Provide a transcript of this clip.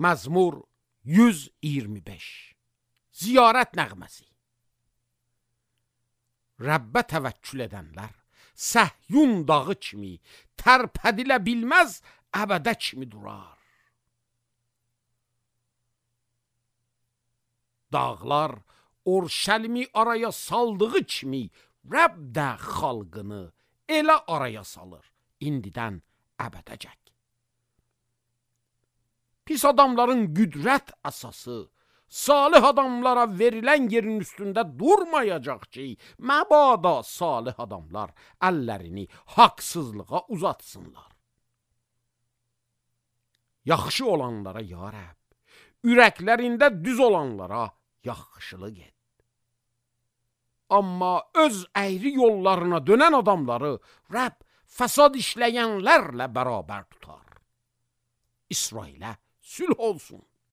Məzmur 125. Ziyarət nəğməsi. Rəbbə təvəkkül edənlər Səhyun dağı kimi tərpədilə bilməz əbədə kimi durar. Dağlar Orşəlimi araya saldığı kimi Rəbb də xalqını elə araya salır, indidən əbədəcək. Pis adamların qüdrət əsası, salih adamlara verilən yerin üstündə durmayacaq ki, məbada salih adamlar əllərini haqsızlığa uzatsınlar. Yaxşı olanlara ya Rəbb, ürəklərində düz olanlara yaxşılıq et. Amma öz əyri yollarına dönən adamları Rəbb fəsad işləyənlərlə bərabər tutar. İsrailə sülh olsun.